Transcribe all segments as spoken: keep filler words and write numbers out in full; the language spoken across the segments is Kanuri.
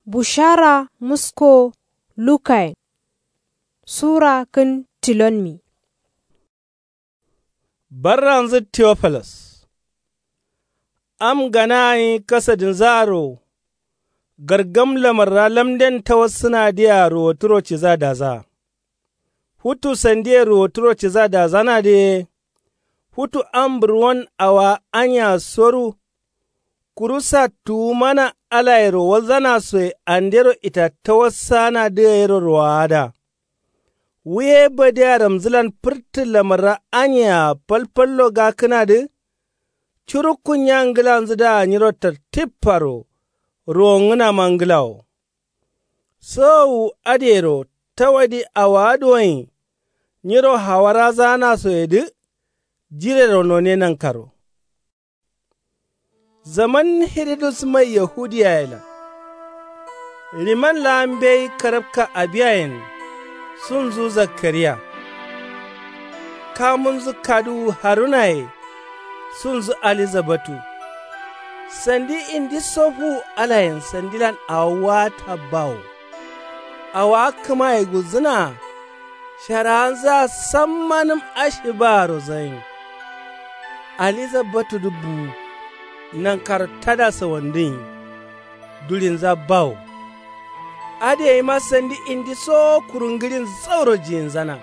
Bushara musko lukayen. Sura kǝn tilonmi. Barranzǝ teofelas. Am gana gǝnyi kasadinzǝaro. Gargam lamarra lamden tawassǝnadǝyea ruwoturo ciza daza. Futu sandiye ruwoturo ciza dazanadǝ ye. Futu am burwon awowa aniya soru. Kuru sattuwu mana alayero walzanasoye andero itattawassaanadǝ gayero ruwowada. Wu ye badiya ramzǝlan fǝrtǝ lamarra aniyea falfallo gakkǝnadǝ. Curukkun nya ngǝlanzǝdǝa nyiro tartiffaro. Ruwongǝnama ngǝlawo. Sowowu adǝyero tawadi awowa duwonyi. Nyiro hawarazaanasoyedǝ. Jirero none nankaro. Zaman hiridus mai yahudiyayelan. Riman laa mbeyi karabka abiyayen. Sunzu zakkariya. Kamunzu kaduwu harunaye. Sunzu alizabatu. Sandi indiso fuwu alayen sandilan awo waata bawo. Awowa kǝmaye gulzǝnaa. Sharawanzǝa sammanǝm ashibaaro zayin. Alizabatudǝ buwu. Nankaro tada sawandǝnyi. Dulinza bawo. Adǝ gaima sandi indiso kuru ngǝrin zauro jiyinzana.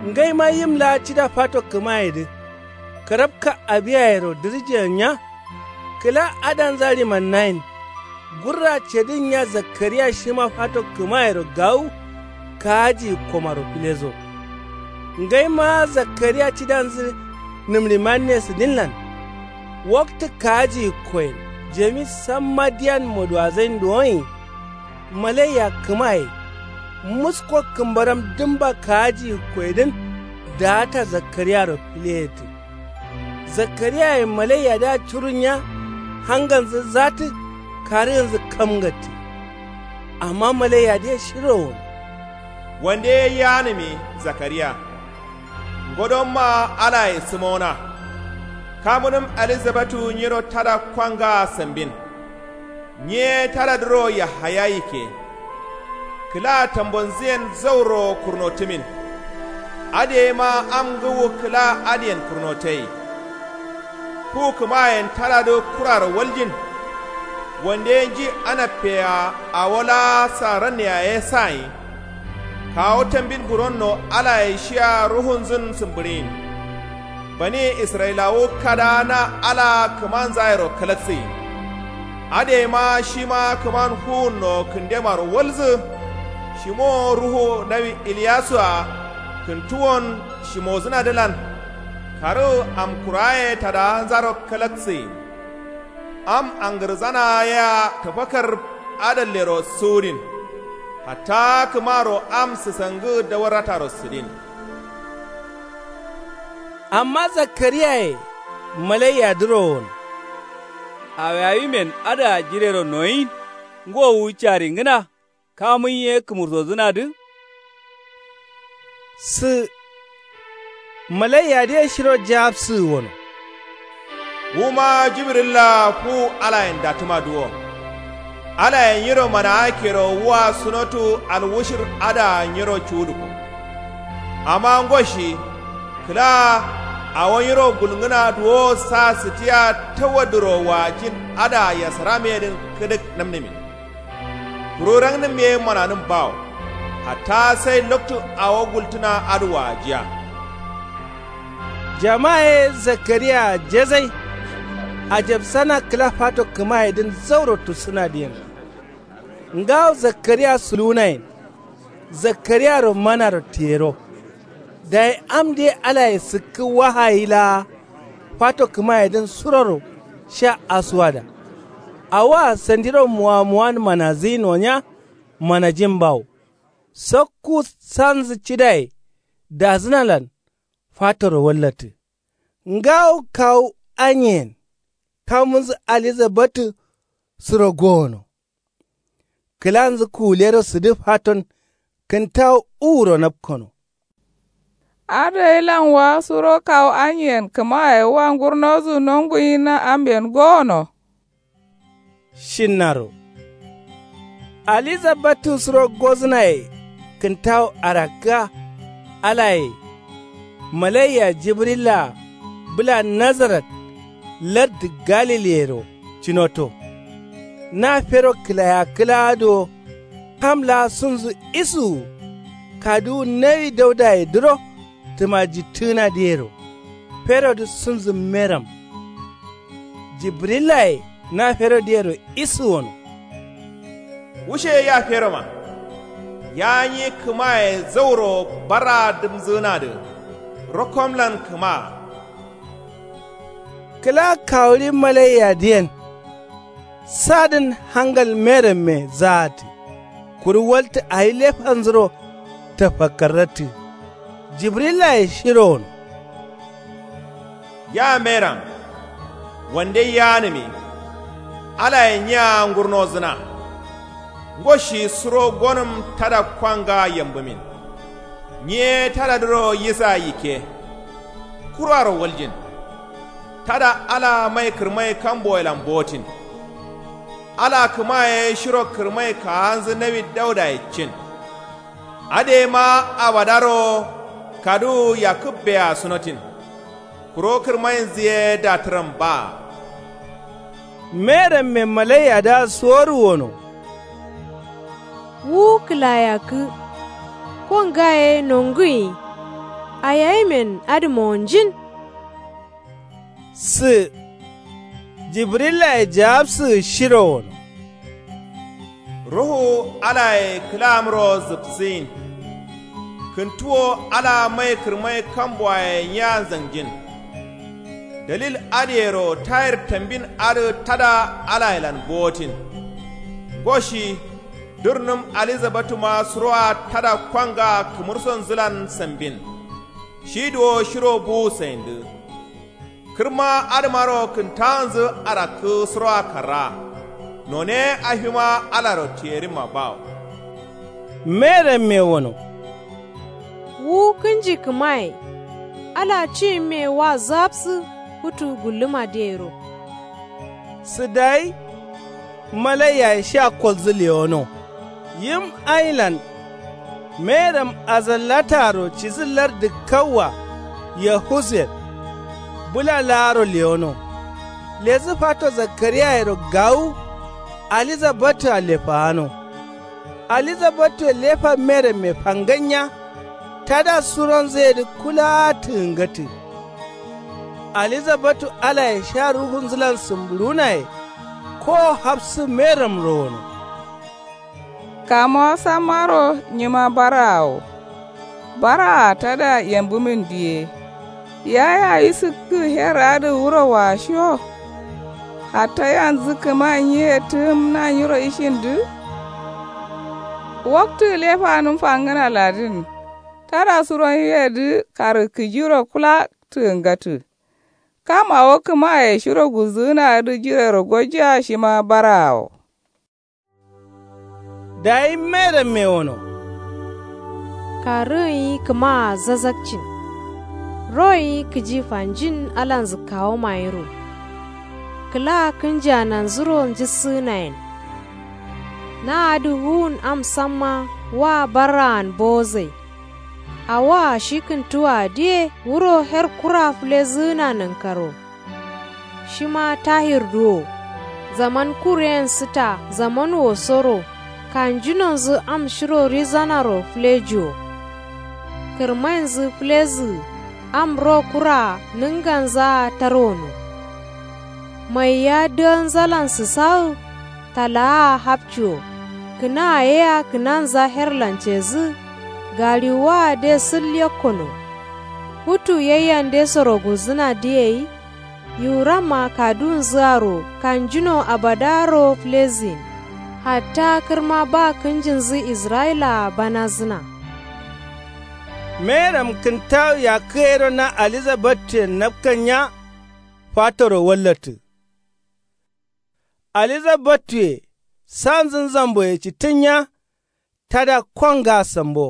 Ngaima yim laa cida fato kǝmayedǝ. Karabka abiyayero dǝrjiyen nya. Kǝla adanza rimannayen. Gurra cedǝn nya zakkariya shima fato kǝmayero gawu. Kaaji komaro filezo. Ngaima zakkariya cidanzǝ. Nǝmrimanne sǝdinlan. Waktǝ kaaji koyen jami samma diyan moduwazain duwonyi. Malaiya kǝmaye. Musko kǝmbaram dǝmba kaaji koyedǝn. Daata zakkariyaro fileyettǝ. Zakkariyaye malaiyadǝa curunya. Hanganzǝ zattǝ. Karǝgǝnzǝ kamgattǝ. Amma malaiyadǝye shiro wono. Wande ye yeanǝmi zakkariya. Ngodonma alaye sǝmona. Kamunǝm alizabatu nyiro tada kwangaa sambin. Nyiye tadadǝro yahaya yikke. Kǝla tambonzǝyen zauro kurnotǝmin. Adǝ gaima am ngǝwu kǝla adǝyen kurnotai. Fu kǝmayen tadadǝ kuraro waljin. Wande ye nji anappeyea awo laa saranne yaye sayin. Kawu tambin buronno alaye shiya ruhunzǝn sǝmbǝɍiyin. Bani israyilawu kadaa na alaa kǝmanzayero kalaksayin. Adǝ gaima shima kǝman fuwunno kǝndemaro walzǝ. Shimowo ruhu nawi iliyasua kǝntuwon shimozǝnadǝlan. Karǝ amkuraye tadawanzaro kalaksayin. Am angǝrzana yea tafakar adallero suwudin. Hatta kǝmaro am sǝsangǝ dawarrataro sǝdin. Amma zakkariyaye malaiyadǝro wono. Awiawimen adǝa jirero noyin ngo wu caringǝna. Kamun ye kǝmursozǝnadǝ. Sǝ. Malaiyadǝye shiro jawabsǝgǝ wono. Wuma jibrilla fuwu alayen dattǝmadǝ wo. Alaye nyiro manaakero wua sunotu alwushir adǝa nyiro cuwudǝko. Amma ngo shi kǝla awo nyiro gulngǝnadǝ wo sa sǝtiya tawadǝro waajin adǝa yasaramiyedǝn kǝdǝk namnǝmin. Kuru rangnǝm ye mananǝm bawo. Hatta sai loktu awo gultǝna adǝ waajiya. Jama ye zakkariyaa jazai. Ajabsana kǝla fato kǝmayedǝn zauro tussǝnadǝyen. Ngawo zakkariya suluwunayen. Zakkariyaro manaro tiyero. Dayi amdǝ ye alaye sǝkkǝ wahayi laa. Fato kǝmayedǝn suroro sha asuwada. Awoa sandiro muwamuwan manazǝyin wo nya. Manajin bawo. Sakku sanzǝ cidaye dazǝnalan. Fatoro wallattǝ. Ngawo kawu anyeyen kamunzǝ alizabatǝ. Suro gowono. Kǝlanzǝ kuwulero sǝdǝ faton. Kǝntawu uwuro napkono. Adǝ gailan wa suro kawu anyeyen kǝmaye wa ngurnozǝ nonguyinna amben gowono. Shinnaro. Alizabbatu suro gozǝnaye kǝntawu arakkǝa. Alaye malaiya jibrillaa bǝla nazarat lardǝ galiliyero cǝnoto. Na fero kǝlaya kǝlaa duwo kam laa sunzǝ isuwu kaduwu nawi daudayedǝro tǝmajittǝgǝnadǝyero ferodǝ sunzǝ meram. Jibrillaye na ferodǝyero isuwono. Wushe ya feroma. Ya nyi kǝmaye zauro barraa dǝmzǝgǝnadǝ. Rokkomlan kǝmaa. Kǝla kawuri malaiyadǝyen sadǝn hangal meramme zaatǝ. Kuru waltǝ awi lefanzuro tafakkarrattǝ. Jibrillaye shiro wono. Ya meram wande yanǝmi. Alaye nyiya ngurnozǝna. Ngo shi suro gonǝm tada kwanga yambǝmin. Nyi ye tadadǝro yisa yikke. Kuraro waljin. Tada ala mai kǝrmai kamboyelan botin. Ala kǝmaye shiro kǝrmai kaanzǝ nawi daudaye cin. Adǝyema abadaro kaduwu yakkǝbbea sunotin. Kuro kǝrmainzǝ ye datǝram baa. Meramme malaiyadǝa suworu wono. Wu kǝlayakkǝ. Ko ngaye nonguyi. Ayayimen adǝ mowonjin. Sǝ. Jibrillaye jawabsǝgǝ shiro wono. Ruhu alaye kǝlamro zǝpsǝyin. Kǝntuwo ala mai kǝrmai kamboaye nyiya nzangjin. Dalil adǝyero tayir tambin adǝ tada alayelan bowotin. Ngo shi durnǝm alizabatuma suroa tada kwanga kǝmursonzǝlan sambin. Shi duwo shiro buwu sayindǝ. Kǝrma adǝmaro kǝntaanzǝ arakkǝ suroa karraa. None ye afima alaro tiyerimma bawo. Meramme wono. Wu kǝnji kǝmaye. Ala ciyimme wa zǝgapsǝ futu gullǝmadǝyero. Sǝ dayi. Malaiyaye sha kolzǝ lewono. Yim ailan. Meram azallataro cidǝ lardǝ kawwa. Yahusiyat. Bǝla laaro lewono. Ledǝ fato zakariyayero gawu. Alizabatua lefaano. Alizabatue lefa meramme fanganya. Tada suronzǝyedǝ kulaa tǝgǝngatǝ. Alizabatu alaye sha ruhunzǝlan sǝmbǝɍuwunaye. Kowo hafsǝ meramro wono. Kamuwa sammaro nyima baraa wo. Baraa tada yambǝmin diye. Yaya isǝkkǝ her adǝ wuro washiyo. Hatta yanzǝ kǝma nyiye tǝgǝmna nyiro ishindǝ. Waktǝ lefanǝm fangǝna ladǝn. Tada suronwuyedǝ karǝkkǝjiro kǝla tǝgǝngatǝ. Kam awo kǝmaye shiro gulzǝgǝnadǝ jirero gojjea shima baraa wo. Dayi meramme wono. Karǝgǝnyi kǝmaa zazakcin. Royenyi kǝji fanjin alanzǝ kawomayiro. Kǝla kǝnjiananzuro njǝssǝgǝnayen. Na adǝ wuwun am samma wa barraan bowozai. Awoa shi kǝntuwoadǝ ye wuro her kura fǝlezǝgǝna nankaro. Shima tahirdǝ wo. Zaman kur yen sǝta zaman wosoro. Kanjunonzǝ am shiro rizanaro fǝlejiwo. Kǝrmainzǝ fǝlezǝgǝ am ro kuraa nǝnganzaa tarwono. Maiya dǝganzalan sǝsagǝ. Talaa hapciwo. Kǝnaa yea kǝnanza herlan cedǝ. Gaɍiwwaa de sǝl yekkono. Futu yaiyandesoro gulzǝnadǝ yei. Yiwuramma kaduwunzǝaro kanjuno abadaaro fǝlezǝgǝn. Hatta kǝrma ba kǝnjinzǝ israyilaa banazǝna. Meram kǝntawu yakkǝ yero na alizabattuyen napkanya. Fatoro wallattǝ. Alizabattuye sanzǝn zamboye cittǝnya. Tada kongaa sambo.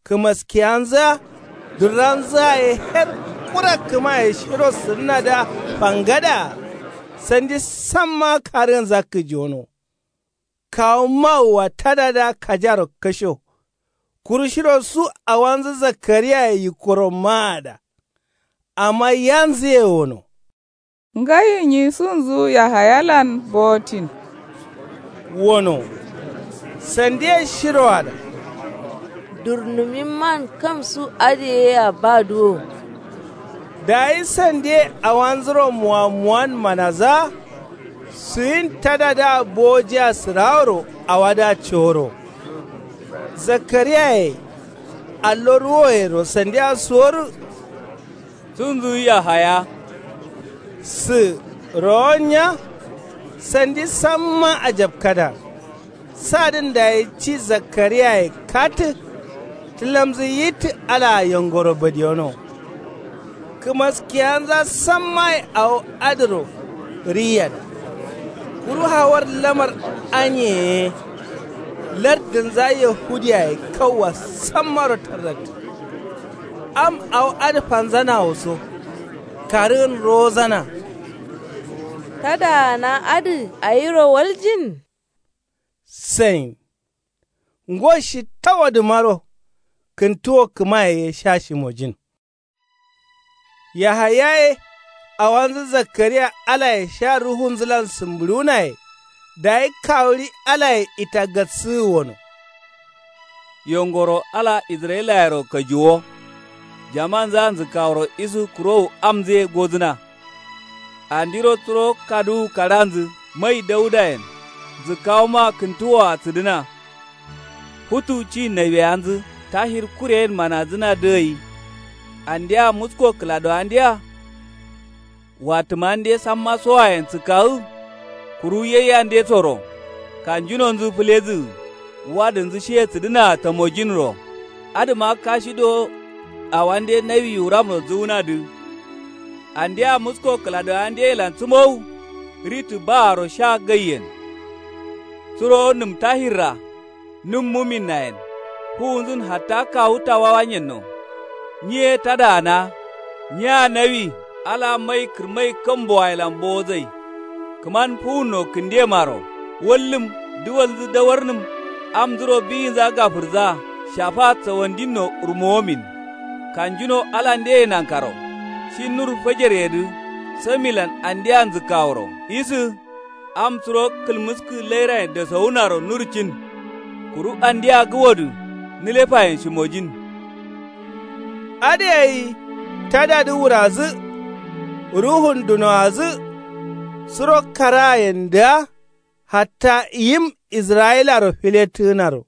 Kǝmaskiyanzǝa duranzǝa ye her kura kǝmaye shiro sǝrǝnadǝa fangadaa. Sandi samma karǝgǝnza kǝjiwono. Kawu mawua tadadǝa kajaro kasho. Kuru shiro su awanzǝ zakkariyaye yikkoro maada. Amma yanzǝye wono. Ngai nyi sunzu yahayalan bowotin. Wono. Sandiye shiroada. Durnumimman kam su adǝ yea badǝ wo. Dayi sandiye awanzuro muwamuwan manazǝa. Suyin tadadǝa bowojia sǝraworo awadǝa coro. Zakkariyaye allo ruwoyero sandia suworǝ. Sunzǝ yahaya. Sǝ rowonya. Sandi samma ajabkada. Sadǝn dayi ci zakkariyaye katǝ. Tǝlamzǝ yittǝ alaa yongoro badiyono. Kǝmaskiyanza sammaye awo adǝro. Riyada. Kuru hawar lamar anyeye. Lardǝnza yahudiyaye kauwa sammaro tarrattǝ. Am awo adǝ fanzanawo so. Karǝgǝn rowozana. Tadaana adǝ ayiro waljin. Sain. Ngo shi tawadǝmaro. Kǝntuwo kǝmaye ye sha shimojin. Yahayaye. Awanzǝ zakkariya alaye sha ruhunzǝlan sǝmbǝɍunaye. Dayi kawuɍi alaye itagassǝgǝ wono. Yongoro ala israyilayero kajuwo. Jamanza nzǝkkaworo isu kurowu amzǝye godǝna. Andiro turo kaduwu kaɍanzǝ mai daudayen. Nzǝkkawoma kǝntuwoa sǝdǝna. Futu ci nawiyanzǝ tahir kureyen manadǝna dǝgai. Andea musko kǝladowandeya. Watǝmande samma sowayen sǝkkagǝ. Kuru yaiyandesoro. Kanjunonzǝ fǝlezǝgǝ. Wadǝnzǝ shiye sǝdǝnaa tamojinro. Adǝma kashi do. Awande nawi wuramro zǝwunadǝ. Andea musko kǝladowandeyelan sǝmowu. Ritǝ baaro sha gaiyen. Suro nǝm tahirra. Nǝm muminnayen. Fuwunzǝn hatta kawu tawawanyenno. Nyiye tadaana. Nyiya nawi. Ala mai kǝrmai kambowayelan bowozai. Kǝman fuwunno kǝndemaro. Wallǝm. Duwalnzǝ dawarnǝm. Amnzuro biyinza gafǝrza. Shafa sawandinno urmowomin. Kanjuno alande ye nankaro. Shi nur fajaryedǝ. Samilan andea nzǝkkaworo isǝ. Am suro kǝlmǝskǝ lairayen dasowunaro nurcin. Kuru andea gǝwodǝ. Nǝlefayen shimojin. Adǝ gai tadadǝ wurazdǝ. Ruhun dunoadzǝ. Suro karaayendǝa. Hatta yim israyilaro filettǝgǝnaro.